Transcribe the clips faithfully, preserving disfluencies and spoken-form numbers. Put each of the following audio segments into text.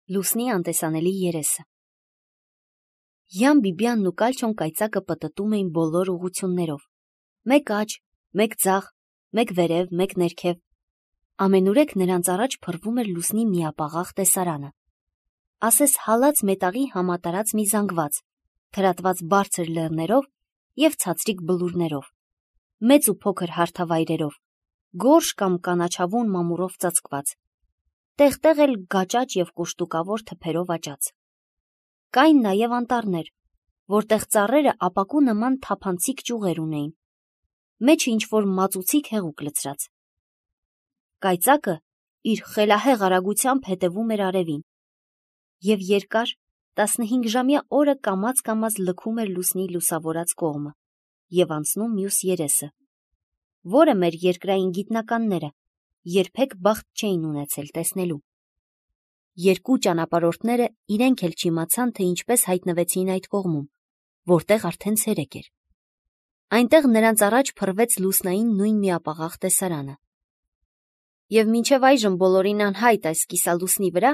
Լուսնի անտեսանելի երեսը։ Յան Բիբյանն ու Կալչոն կայծակը պտտում էին բոլոր ուղություններով. մեկ աջ, մեկ ձախ, մեկ վերև, մեկ ներքև։ Ամենուրեք նրանց առաջ փռվում էր Լուսնի միապաղաղ տեսարանը։ Ասես հալած մետաղի համատարած մի զանգված, թրատված բարձր լեռներով և ցածրիկ բլուրներով, մեծ ու փոքր հարթավայրերով, գորշ կամ կանաչավուն մամուրով ծածկված, տեղ-տեղ էլ գաճաճ և կուշտուկավոր թփերով աճած։ Կային նաև անտառներ, որտեղ ծառերը ապակու նման թափանցիկ ճյուղեր ունեին, մեջը ինչ-որ մածուցիկ հեղուկ լցրած։ Կայծակը իր խելահեղ արագությամբ հետևում էր արևին, և երկար տասնհինգժամյա օրը կամաց-կամաց լքում էր Լուսնի լուսավորած կողմը և անցնում մյուս երեսը, որը մեր երկրային գիտնականները երբեք բախտ չէին ունեցել տեսնելու։ Երկու ճանապարհորդները իրենք էլ չիմացան, թե ինչպես հայտնվեցին այդ կողմում, որտեղ արդեն ցերեկ էր։ Այնտեղ նրանց առաջ փռվեց լուսնային նույն միապաղաղ տեսարանը։ Եվ մինչև այժմ բոլորին անհայտ այս կիսալուսնի վրա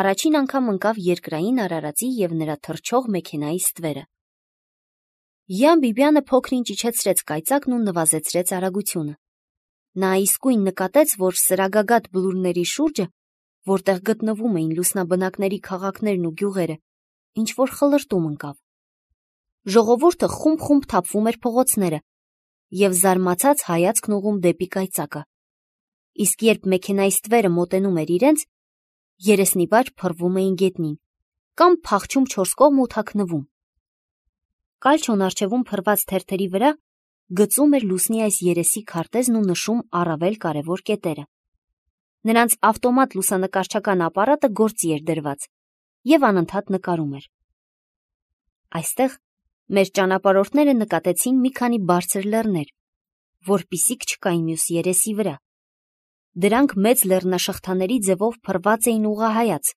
առաջին անգամ ընկավ երկրային արարածի և նրա թռչող մեքենայի ստվերը։ Յան Բիբյանը փոքր-ինչ իջեցրեց կայծակն ու նվազեցրեց արագությունը։ Նա իսկույն նկատեց, որ սրագագաթ բլուրների շուրջը, որտեղ գտնվում էին լուսնաբնակների քաղաքներն ու գյուղերը, ինչ-որ խլրտում ընկավ։ Ժողովուրդը խումբ-խումբ թափվում էր փողոցները և զարմացած հայացքն ուղղում դեպի կայծակը, իսկ երբ մեքենայի ստվերը մոտենում էր իրենց, երեսնիվար փռվում էին գետնին կամ փախչում չորս կողմ ու թաքնվում։ Կալչոն առջևում փռված թերթերի վրա գծում էր Լուսնի այս երեսի քարտեզն ու նշում առավել կարևոր կետերը։ Նրանց ավտոմատ լուսանկարչական ապարատը գործի էր դրված և անընդհատ նկարում էր։ Այստեղ մեր ճանապարհորդները նկատեցին մի քանի բարձր լեռներ, որպիսիք չկային մյուս երեսի վրա։ Դրանք մեծ լեռնաշղթաների ձևով փռված էին ուղղահայաց,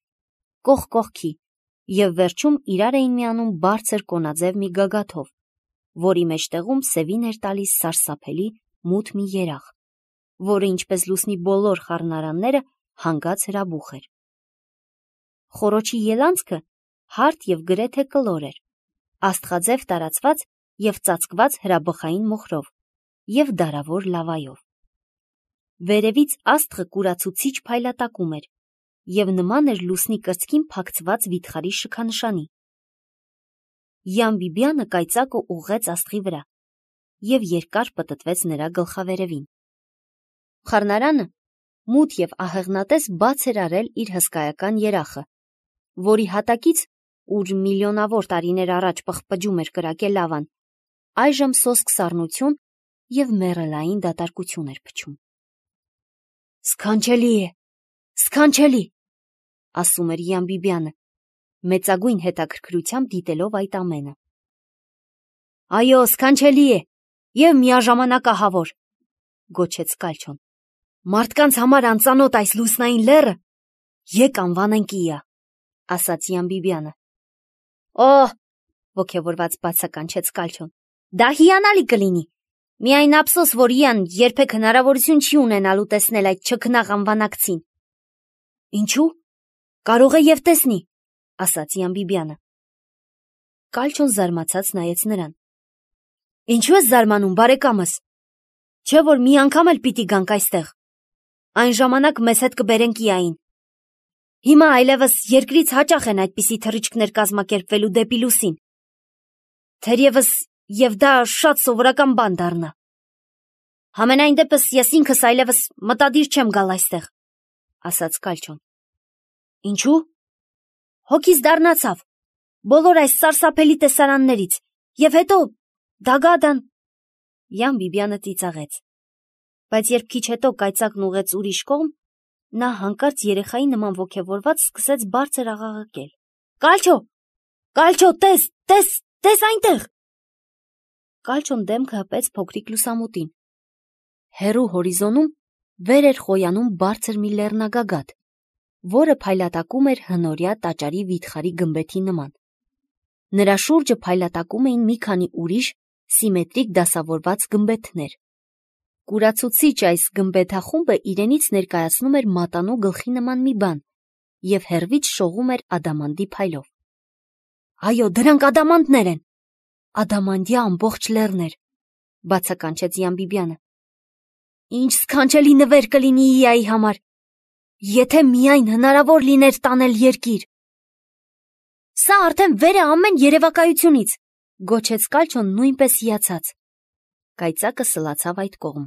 կողք կողքի և վերջում իրար էին միանում բարձր կոնաձև մի գագաթով, որի մեջտեղում սևին էր տալիս սարսափելի մութ մի երախ, որը ինչպես Լուսնի բոլոր խառնարանները հանգած հրաբուխ էր։ Խոռոչի ելանցքը հարթ և գրեթե կլոր էր, աստղաձև տարածված և ծածկված հրաբխային մոխրով և դարավոր լավայով։ Վերևից աստղը կուրացուցիչ փայլատակում էր և նման էր Լուսնի կրծքին փակցված վիթխարի շքանշանի։ Յան Բիբյանը կայծակը ուղղեց աստղի վրա և երկար պտտվեց նրա գլխավերևին։ Խառնարանը մութ և ահեղնատես բաց էր արել իր հսկայական երախը, որի հատակից, ուր միլիոնավոր տարիներ առաջ պղպջում էր կրակե լավան, այժմ սոսկ սառնություն և մեռելային դատարկություն էր փչում։ «Սքանչելի է, սքանչելի», ասում էր Յան Բիբյանը, մեծագույն հետաքրքրությամբ դիտելով այդ ամենը։ «Այո, սքանչելի է և միաժամանակ ահավոր», գոչեց Կալչոն։ «Մարդկանց համար անծանոթ այս լուսնային լեռը եկ անվանենք իա», ասաց Յան Բիբյանը։ «Օհ», ոգևորված բացականչեց Կալչոն, «դա հիանալի կլինի, միայն ափսոս, որ Յան երբեք հնարավորություն չի ունենալու տեսնել այդ չքնաղ անվանակցին»։ «Ինչու՞, կարող է և տեսնի», ասաց Յան Բիբյանը։ Կալչոն զարմացած նայեց նրան։ «Ինչու ես զարմանում, բարեկամս, չէ՞ որ մի անգամ էլ պիտի գանք այստեղ, այն ժամանակ մեզ հետ կբերենք իային։ Հիմա այլևս երկրից հաճախ են այդպիսի թռիչքներ կազմակերպվելու դեպի լուսին, թերևս և դա շատ սովորական բան դառնա։ Համենայն դեպս ես ինքս այլևս մտադիր չեմ գալ այստեղ», ասաց Կալչոն։ «Ինչու՞։ Հոգիս դառնացավ բոլոր այս սարսափելի տեսարաններից և հետո Դագադան»։ Յան Բիբյանը ծիծաղեց, բայց երբ քիչ հետո կայծակն ուղղեց ուրիշ կողմ, նա հանկարծ երեխայի նման ոգևորված սկսեց բարձր աղաղակել. «Կալչո, Կալչո, տես, տես, տես այնտեղ»։ Կալչոն դեմքը հպեց փոքրիկ լուսամուտին։ Հեռու հորիզոնում վեր էր խոյանում բարձր մի լեռնագագաթ, որը փայլատակում էր հնորյա տաճարի վիթխարի գմբեթի նման։ Նրա շուրջը փայլատակում էին մի քանի ուրիշ սիմետրիկ դասավորված գմբեթներ։ Կուրացուցիչ այս գմբեթախումբը իրենից ներկայացնում էր մատանու գլխի նման մի բան, և հեռվից շողում էր ադամանդի փայլով։ Այո, դրանք ադամանդներ են, ադամանդյա ամբողջ լեռներ, բացականչեց Յամբիբյանը։ Ինչ սքանչելի նվեր կլինի Իայի համար, եթե միայն հնարավոր լիներ տանել երկիր։ Սա արդեն վեր է ամեն երևակայությունից, գոչեց Կալչոն նույնպես հիացած։ Կայծակը սլացավ այդ կողմ։